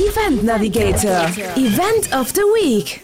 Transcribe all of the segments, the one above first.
Event Navigator, Event of the Week.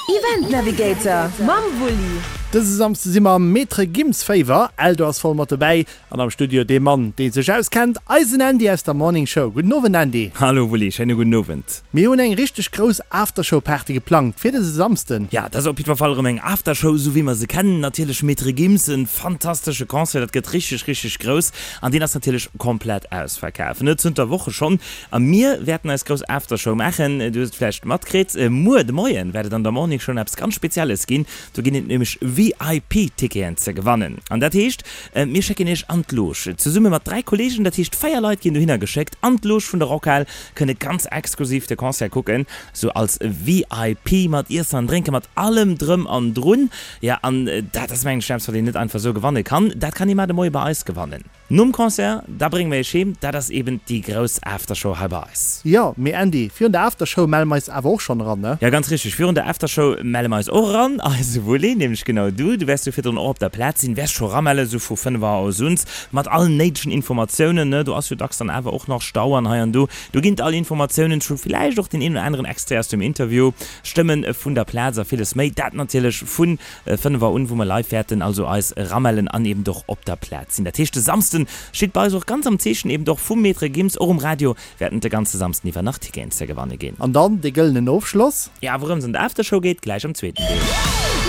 Event Navigator mam Wulli. Dëse Samsde si mer am Maître Gims Féiwer. Eldo ass voll mat dobäi an am Studio dee Mann, dee sech auskennt, eisen Andy aus der Morning Show. Gudden Owend Andy. Hallo Wulli, schéine gudden Owend. Mir hunn eng richteg grouss Aftershow Party geplangt fir dëse Samsden. Ja, dat ass op jiddwer Fall erëm eng Aftershow, esou wéi mer se kennen. Natierlech Maître Gims, en fantastesche Concert, dat gëtt richteg, richteg grouss an deen ass natierlech komplett ausverkaf, ne, zënter Woche schonn. A mir wäerten eis grouss Aftershow maachen, du hues et vläicht matkritt, muer de Moien wäert et an der Morning Show eppes ganz Spezielles ginn, do ginn et nämlech VIP-Ticketen ze gewannen. An dat heescht, mir schécken iech an d'Loge, zesumme mat 3 Kollegen, dat heescht 4 Leit ginn dohinner geschéckt an d'Loge vun der Rockhal, kënne ganz exklusiv de Concert kucken, sou als VIP, mat Iessen an Drénken, mat allem drëm an drun. Jo, an dat ass mengen ech eppes, wat een net einfach sou gewanne kann. Dat kann ee mar de Moie bei eis gewannen. Nom Concert, da brénge mer iech heem, dat ass eben déi grouss Aftershow hei bei eis. Jo, mee Andy, virun der Aftershow melle mer eis awer och schonn eran, ne? Jo, ganz richteg, virun der Aftershow melle mer eis och eran. Eise Wulli, nämlech genau du, du wäers jo virdrun och op der Plaz sinn, wäers scho eramelle sou vu 5 Auer aus uns, mat allen néidegen Informatiounen, ne? Do ass jo dacks dann awer och nach Stau an hei an do. Do ginn et all Informatiounen, scho villäicht och deen een oder aneren Extrait aus dem Interview, Stëmmen vun der Plaz a villes méi. Dat natierlech vun 5 Auer un, wou mer live wäerten also eis eramellen an eben och op der Plaz sinn. Dat heescht de Samsden steet bei eis och ganz am Zeechen eben och vum Maître Gims. Och um Radio wäerten de ganze Samsden iwwer nach Ticketen ze gewanne ginn. An dann dee gëllenen Ofschloss. Ja, wourëms an der Aftershow geet, gläich am zweeten Deel.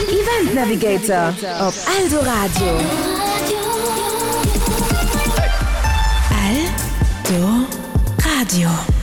Event Navigator op Eldoradio. Eldoradio.